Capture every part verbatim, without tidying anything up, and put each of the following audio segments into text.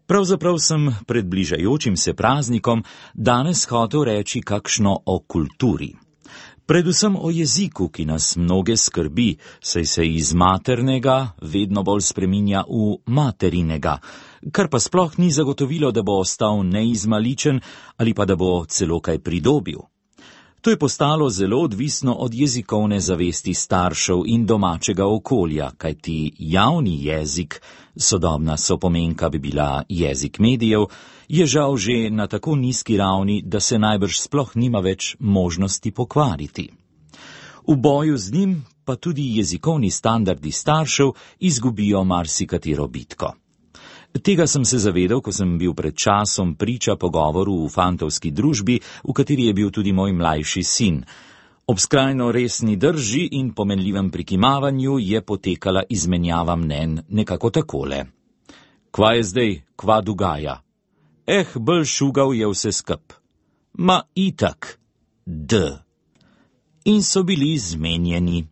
Pravzaprav sem pred bližajočim se praznikom danes hotel reči kakšno o kulturi. Predvsem o jeziku, ki nas mnoge skrbi, saj se iz maternega vedno bolj spreminja v materinega, kar pa sploh ni zagotovilo, da bo ostal neizmaličen ali pa da bo celo kaj pridobil. To je postalo zelo odvisno od jezikovne zavesti staršev in domačega okolja, kajti javni jezik, sodobna sopomenka bi bila jezik medijev, je žal že na tako nizki ravni, da se najbrž sploh nima več možnosti pokvariti. V boju z njim pa tudi jezikovni standardi staršev izgubijo marsikatero bitko. Tega sem se zavedal, ko sem bil pred časom priča pogovoru v fantovski družbi, v kateri je bil tudi moj mlajši sin. Ob skrajno resni drži in pomenljivem prikimavanju je potekala izmenjava mnenj nekako takole. Kva je zdaj, kva dogaja? Eh, bolj šugal je vse skup. Ma itak, d. In so bili zmenjeni.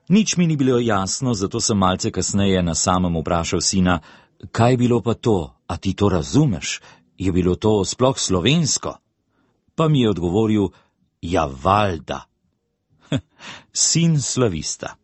Nič mi ni bilo jasno, zato sem malce kasneje na samem vprašal sina, kaj je bilo pa to, a ti to razumeš? Je bilo to sploh slovensko? Pa mi je odgovoril, ja, valjda. Sin slavista.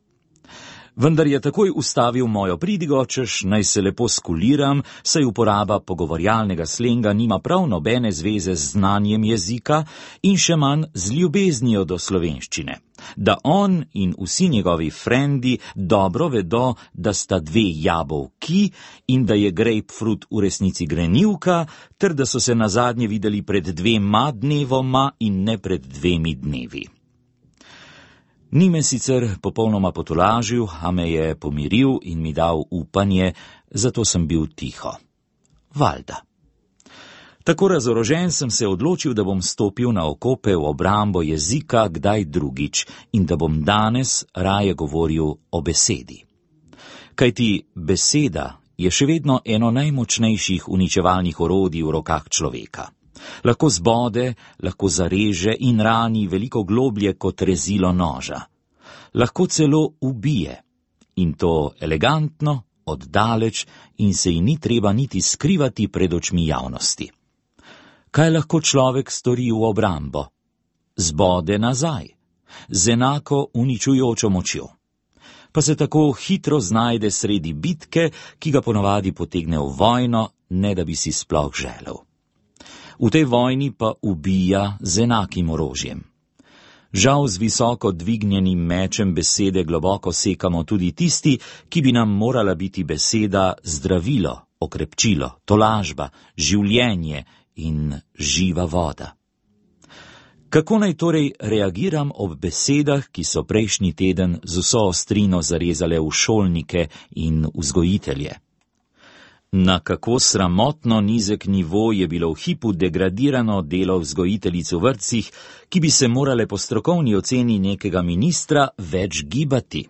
Vendar je takoj ustavil mojo pridigo, češ naj se lepo skuliram, saj uporaba pogovorjalnega slenga nima prav nobene zveze z znanjem jezika in še manj z ljubeznijo do slovenščine. Da on in vsi njegovi frendi dobro vedo, da sta dve jabolki in da je grapefruit v resnici grenivka, ter da so se nazadnje videli pred dvema dnevoma in ne pred dvemi dnevi. Ni me sicer popolnoma potolažil, a me je pomiril in mi dal upanje, zato sem bil tiho. Valjda. Tako razorožen sem se odločil, da bom stopil na okope v obrambo jezika kdaj drugič in da bom danes raje govoril o besedi. Kajti beseda je še vedno eno najmočnejših uničevalnih orodij v rokah človeka. Lahko zbode, lahko zareže in rani veliko globlje kot rezilo noža. Lahko celo ubije. In to elegantno, oddaleč in se ji ni treba niti skrivati pred očmi javnosti. Kaj lahko človek stori v obrambo? Zbode nazaj, z enako uničujočo močjo. Pa se tako hitro znajde sredi bitke, ki ga ponavadi potegne v vojno, ne da bi si sploh želel. V tej vojni pa ubija z enakim orožjem. Žal z visoko dvignjenim mečem besede globoko sekamo tudi tisti, ki bi nam morala biti beseda zdravilo, okrepčilo, tolažba, življenje in živa voda. Kako naj torej reagiram ob besedah, ki so prejšnji teden z vso ostrino zarezale v šolnike in vzgojitelje? Na kako sramotno nizek nivo je bilo v hipu degradirano delo vzgojiteljic v vrtcih, ki bi se morale po strokovni oceni nekega ministra več gibati.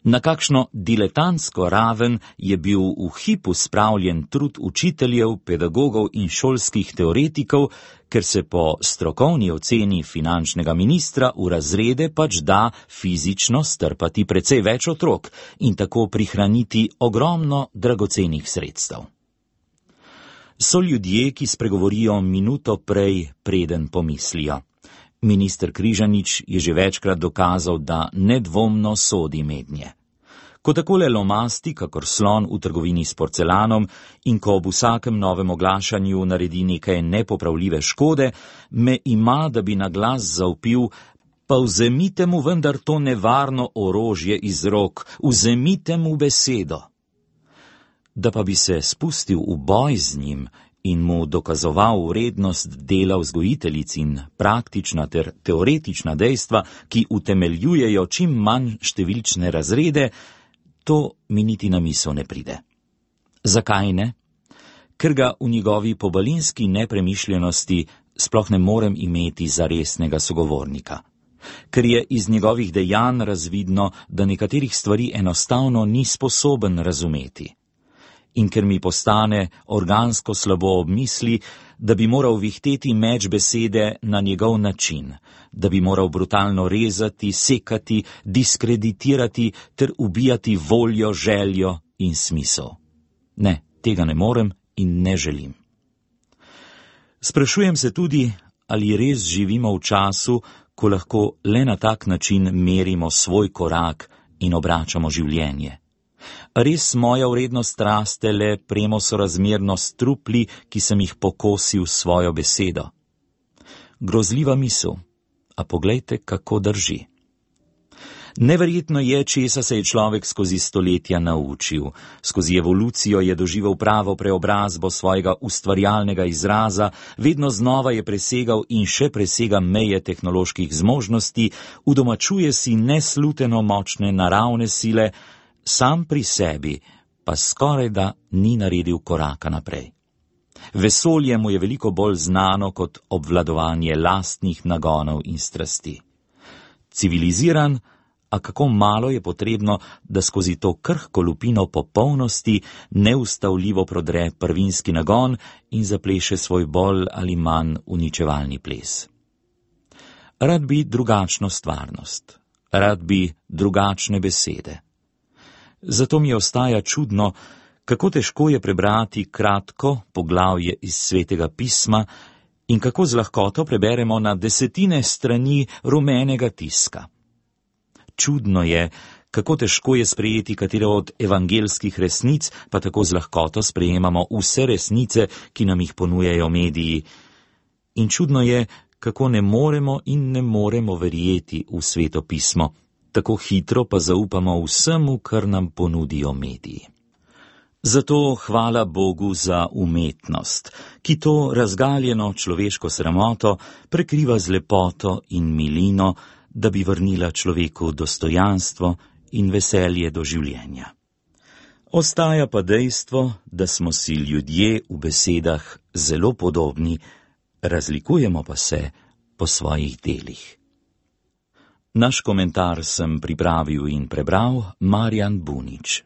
Na kakšno diletantsko raven je bil v hipu spravljen trud učiteljev, pedagogov in šolskih teoretikov, ker se po strokovni oceni finančnega ministra v razrede pač da fizično strpati precej več otrok in tako prihraniti ogromno dragocenih sredstev. So ljudje, ki spregovorijo minuto prej, preden pomislijo. Minister Križanič je že večkrat dokazal, da nedvomno sodi mednje. Ko takole lomasti, kakor slon v trgovini s porcelanom in ko ob vsakem novem oglašanju naredi nekaj nepopravljive škode, me ima, da bi na glas zavpil, pa vzemite mu vendar to nevarno orožje iz rok, vzemite mu besedo. Da pa bi se spustil v boj z njim in mu dokazoval vrednost dela vzgojiteljic in praktična ter teoretična dejstva, ki utemeljujejo čim manj številčne razrede, to mi niti na misel ne pride. Zakaj ne? Ker ga v njegovi pobalinski nepremišljenosti sploh ne morem imeti za resnega sogovornika. Ker je iz njegovih dejanj razvidno, da nekaterih stvari enostavno ni sposoben razumeti. In ker mi postane organsko slabo ob misli, da bi moral vihteti meč besede na njegov način, da bi moral brutalno rezati, sekati, diskreditirati ter ubijati voljo, željo in smisel. Ne, tega ne morem in ne želim. Sprašujem se tudi, ali res živimo v času, ko lahko le na tak način merimo svoj korak in obračamo življenje. Res moja vrednost raste le premosorazmerno s trupli, ki sem jih pokosil s svojo besedo. Grozljiva misel, a poglejte, kako drži. Neverjetno je, česa se je človek skozi stoletja naučil. Skozi evolucijo je doživel pravo preobrazbo svojega ustvarjalnega izraza, vedno znova je presegal in še presega meje tehnoloških zmožnosti, udomačuje si nesluteno močne naravne sile, sam pri sebi pa skorajda ni naredil koraka naprej. Vesolje mu je veliko bolj znano kot obvladovanje lastnih nagonov in strasti. Civiliziran, a kako malo je potrebno, da skozi to krhko lupino popolnosti neustavljivo prodre prvinski nagon in zapleše svoj bolj ali manj uničevalni ples. Rad bi drugačno stvarnost, rad bi drugačne besede. Zato mi ostaja čudno, kako težko je prebrati kratko poglavje iz Svetega pisma in kako z lahkoto preberemo na desetine strani rumenega tiska. Čudno je, kako težko je sprejeti katero od evangelskih resnic, pa tako z lahkoto sprejemamo vse resnice, ki nam jih ponujajo mediji. In čudno je, kako ne moremo in ne moremo verjeti v Sveto pismo, tako hitro pa zaupamo vsemu, kar nam ponudijo mediji. Zato hvala Bogu za umetnost, ki to razgaljeno človeško sramoto prekriva z lepoto in milino, da bi vrnila človeku dostojanstvo in veselje do življenja. Ostaja pa dejstvo, da smo si ljudje v besedah zelo podobni, razlikujemo pa se po svojih delih. Naš komentar sem pripravil in prebral Marjan Bunič.